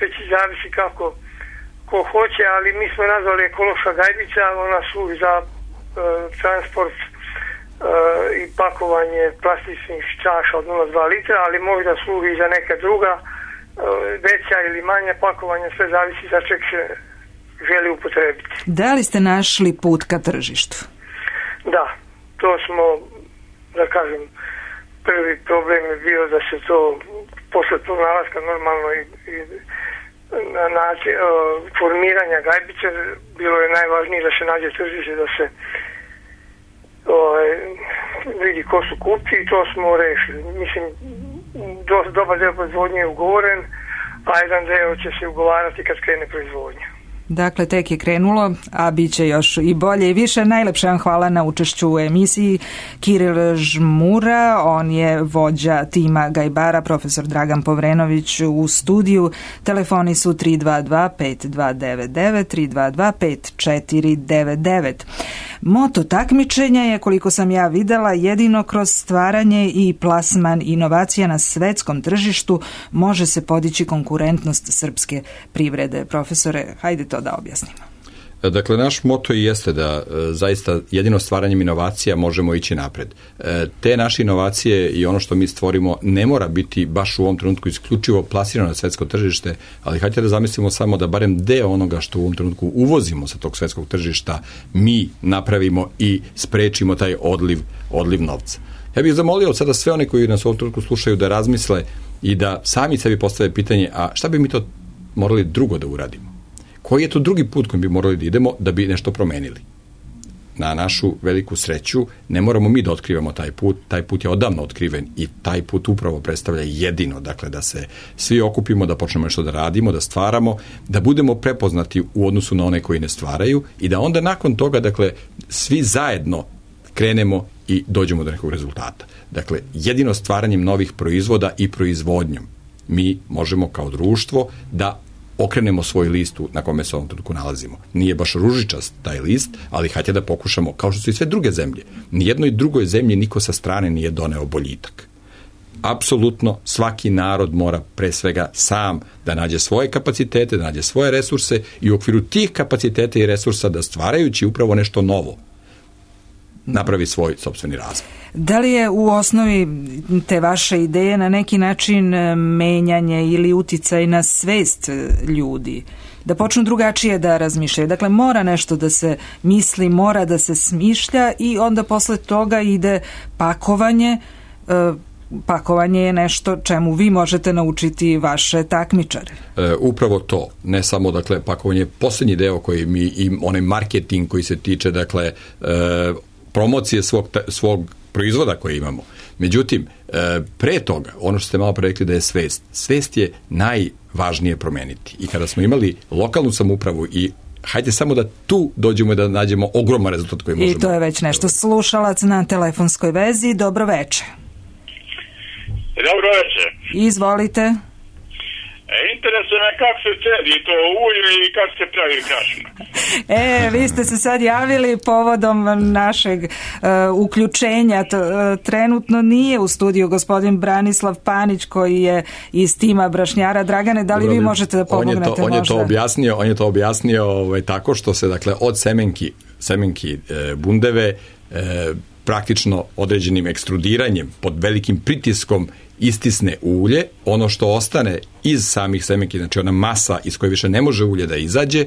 već zavisi kako ko hoće, ali mi smo nazvali ekološka gajbica, ona služi za transport i pakovanje plastičnih čaša od 0,2 litra, ali može da služi i za neka druga veća ili manja pakovanja, sve zavisi za čeg se želi upotrebiti. Da li ste našli put ka tržištu? Da, to smo, da kažem, prvi problem je bio da se to posle pronalaska normalno i na način formiranja gajbice bilo je najvažnije da se nađe tržište, da se vidi ko su kupci i to smo rešili. Mislim, dobar deo proizvodnje je ugovoren, a jedan deo će se ugovarati kad krene proizvodnja. Dakle, tek je krenulo, a bit će još i bolje i više. Najlepše vam hvala na učešću u emisiji. Kiril Žmura, on je vođa tima Gajbara, profesor Dragan Povrenović u studiju. Telefoni su 322-5299, 322-5499. Moto takmičenja je, koliko sam ja videla, jedino kroz stvaranje i plasman inovacija na svetskom tržištu može se podići konkurentnost srpske privrede. Profesore, hajde to da objasnimo. Dakle, naš moto i jeste da zaista jedino stvaranjem inovacija možemo ići napred. Te naše inovacije i ono što mi stvorimo ne mora biti baš u ovom trenutku isključivo plasirano na svetsko tržište, ali hajde da zamislimo samo da barem deo onoga što u ovom trenutku uvozimo sa tog svetskog tržišta mi napravimo i sprečimo taj odliv novca. Ja bih zamolio sada sve one koji nas u ovom trenutku slušaju da razmisle i da sami sebi postave pitanje, a šta bi mi to morali drugo da uradimo? Koji je to drugi put kojim bi morali da idemo da bi nešto promenili? Na našu veliku sreću ne moramo mi da otkrivamo taj put je odavno otkriven i taj put upravo predstavlja jedino, dakle da se svi okupimo, da počnemo nešto da radimo, da stvaramo, da budemo prepoznati u odnosu na one koji ne stvaraju i da onda nakon toga, dakle, svi zajedno krenemo i dođemo do nekog rezultata. Dakle, jedino stvaranjem novih proizvoda i proizvodnjom mi možemo kao društvo da okrenemo svoj list na kome se ovom trenutku nalazimo. Nije baš ružičast taj list, ali hajde da pokušamo, kao što su i sve druge zemlje. Nijednoj drugoj zemlji niko sa strane nije doneo boljitak. Apsolutno svaki narod mora pre svega sam da nađe svoje kapacitete, da nađe svoje resurse i u okviru tih kapaciteta i resursa da stvarajući upravo nešto novo napravi svoj sopstveni razvoj. Da li je u osnovi te vaše ideje na neki način menjanje ili uticaj na svest ljudi? Da počnu drugačije da razmišljaju. Dakle, mora nešto da se misli, mora da se smišlja i onda posle toga ide pakovanje. Pakovanje je nešto čemu vi možete naučiti vaše takmičare. Upravo to. Ne samo, dakle, pakovanje je posljednji deo koji mi, i onaj marketing koji se tiče, dakle, promocije svog proizvoda koje imamo. Međutim, pre toga, ono što ste malo pre rekli da je svest. Svest je najvažnije promeniti. I kada smo imali lokalnu samoupravu i hajde samo da tu dođemo i da nađemo ogroman rezultat koji možemo. I to je već nešto. Slušalac na telefonskoj vezi. Dobro večer. Dobro večer. Izvolite. Interesuje me kako se cedi to ulje i kako se pravi krašna. Vi ste se sad javili povodom našeg uključenja. Trenutno nije u studiju gospodin Branislav Panić koji je iz tima brašnjara. Dragane, da li vi možete da pomognete možda? On je to objasnio tako što se, dakle, od semenki bundeve praktično određenim ekstrudiranjem pod velikim pritiskom istisne ulje, ono što ostane iz samih semenki, znači ona masa iz koje više ne može ulje da izađe,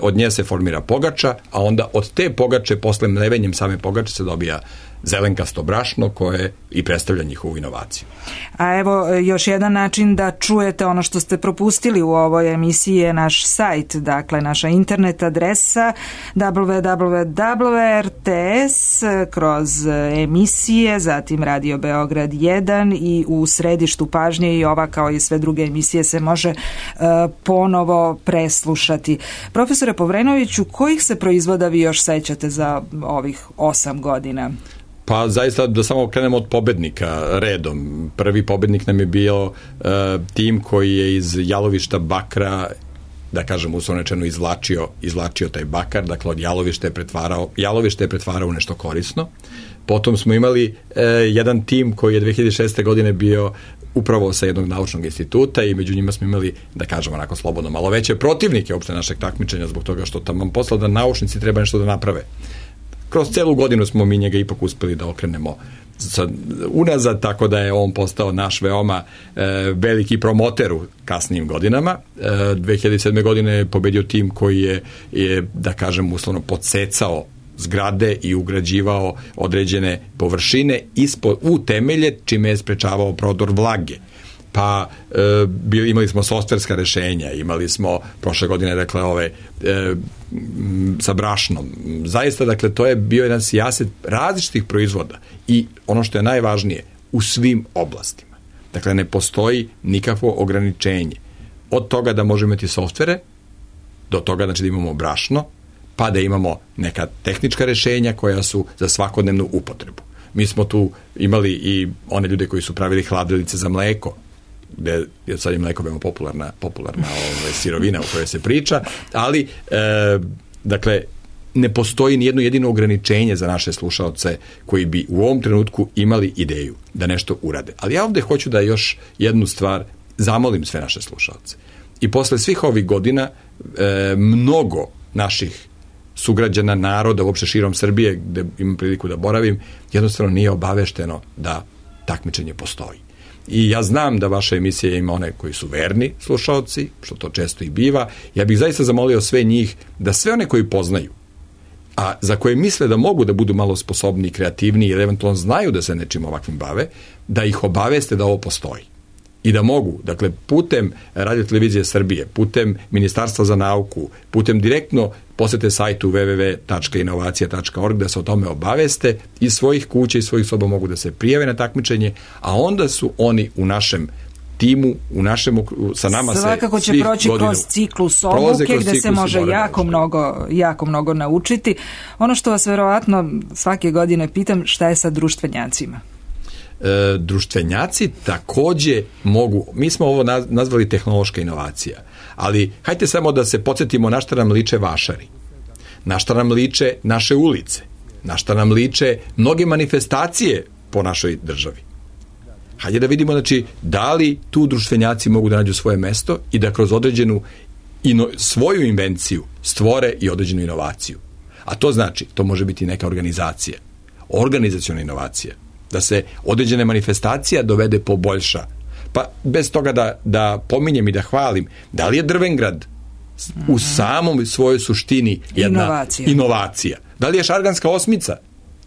od nje se formira pogača, a onda od te pogače, posle mlevenjem same pogače se dobija zelenkasto brašno koje i predstavlja njihovu inovaciju. A evo još jedan način da čujete ono što ste propustili u ovoj emisiji je naš sajt, dakle naša internet adresa www.rts kroz emisije, zatim Radio Beograd 1 i u središtu pažnje i ova kao i sve druge emisije se može ponovo preslušati. Profesore Povrenoviću, kojih se proizvoda vi još sećate za ovih 8 godina? Pa zaista da samo krenemo od pobednika redom. Prvi pobednik nam je bio tim koji je iz jalovišta bakra, da kažem uslovno rečeno, izvlačio taj bakar, dakle od jalovište je pretvarao u nešto korisno. Potom smo imali jedan tim koji je 2006. godine bio upravo sa jednog naučnog instituta i među njima smo imali, da kažemo onako slobodno, malo veće protivnike uopšte našeg takmičenja zbog toga što tamo posla da naučnici treba nešto da naprave. Kroz celu godinu smo mi njega ipak uspeli da okrenemo unazad, tako da je on postao naš veoma veliki promoter u kasnijim godinama. 2007. godine je pobedio tim koji je da kažem uslovno podsecao zgrade i ugrađivao određene površine u temelje, čime je sprečavao prodor vlage. Pa imali smo softverska rešenja, imali smo prošle godine, dakle, sa brašnom. Zaista, dakle, to je bio jedan sijaset različitih proizvoda i ono što je najvažnije, u svim oblastima. Dakle, ne postoji nikakvo ograničenje. Od toga da možemo imati softvere, do toga znači da imamo brašno, pa da imamo neka tehnička rešenja koja su za svakodnevnu upotrebu. Mi smo tu imali i one ljude koji su pravili hladilice za mleko, gde je sad je mleko veoma popularna sirovina o kojoj se priča, ali dakle, ne postoji nijedno jedino ograničenje za naše slušaoce koji bi u ovom trenutku imali ideju da nešto urade. Ali ja ovde hoću da još jednu stvar zamolim sve naše slušaoce. I posle svih ovih godina mnogo naših sugrađana, naroda, uopšte širom Srbije, gde imam priliku da boravim, jednostavno nije obavešteno da takmičenje postoji. I ja znam da vaša emisija ima one koji su verni slušaoci, što to često i biva. Ja bih zaista zamolio sve njih da sve one koji poznaju, a za koje misle da mogu da budu malo sposobni i kreativni ili eventualno znaju da se nečim ovakvim bave, da ih obaveste da ovo postoji. I da mogu, dakle, putem Radio-televizije Srbije, putem Ministarstva za nauku, putem direktno posete sajtu www.inovacija.org da se o tome obaveste, iz svojih kuća i svojih soba mogu da se prijave na takmičenje, a onda su oni u našem timu, sa nama se svakako će proći kroz ciklus obuke gde se može jako mnogo naučiti. Ono što vas verovatno svake godine pitam, šta je sa društvenjacima? Društvenjaci takođe mogu, mi smo ovo nazvali tehnološka inovacija, ali hajde samo da se podsjetimo na šta nam liče vašari, na šta nam liče naše ulice, na šta nam liče mnoge manifestacije po našoj državi. Hajde da vidimo, znači, da li tu društvenjaci mogu da nađu svoje mesto i da kroz određenu svoju invenciju stvore i određenu inovaciju. A to znači, to može biti neka organizacija, organizaciona inovacija, da se određene manifestacija dovede poboljša. Pa bez toga da pominjem i da hvalim, da li je Drvengrad u samom svojoj suštini jedna inovacija? Da li je Šarganska osmica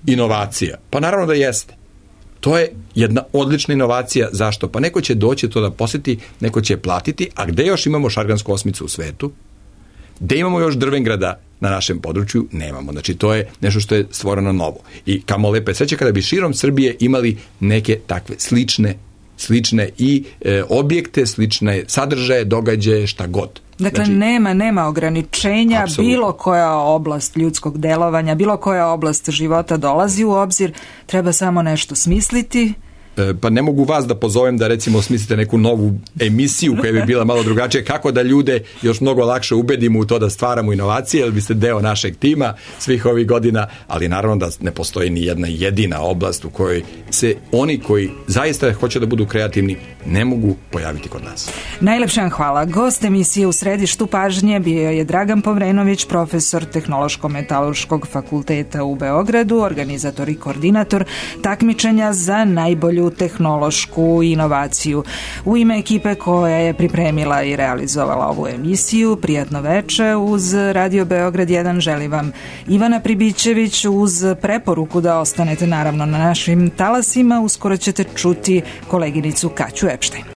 inovacija? Pa naravno da jeste. To je jedna odlična inovacija. Zašto? Pa neko će doći to da posjeti, neko će platiti, a gde još imamo Šargansku osmicu u svetu? Gde imamo još Drvengrada na našem području? Nemamo. Znači, to je nešto što je stvoreno novo. I kamo lepe sreće kada bi širom Srbije imali neke takve slične i objekte, slične sadržaje, događaje, šta god. Dakle, znači, nema ograničenja, apsolutno. Bilo koja oblast ljudskog delovanja, bilo koja oblast života dolazi u obzir, treba samo nešto smisliti. Pa ne mogu vas da pozovem da recimo smislite neku novu emisiju koja bi bila malo drugačija, kako da ljude još mnogo lakše ubedimo u to da stvaramo inovacije, jer biste deo našeg tima svih ovih godina, ali naravno da ne postoji ni jedna jedina oblast u kojoj se oni koji zaista hoće da budu kreativni ne mogu pojaviti kod nas. Najlepša hvala. Gost emisije U središtu pažnje bio je Dragan Povrenović, profesor Tehnološko-metalurškog fakulteta u Beogradu, organizator i koordinator takmičenja za najbolju tehnološku inovaciju. U ime ekipe koja je pripremila i realizovala ovu emisiju, prijatno veče uz Radio Beograd 1 želim vam Ivana Pribićević, uz preporuku da ostanete naravno na našim talasima. Uskoro ćete čuti koleginicu Kaću Epštajn.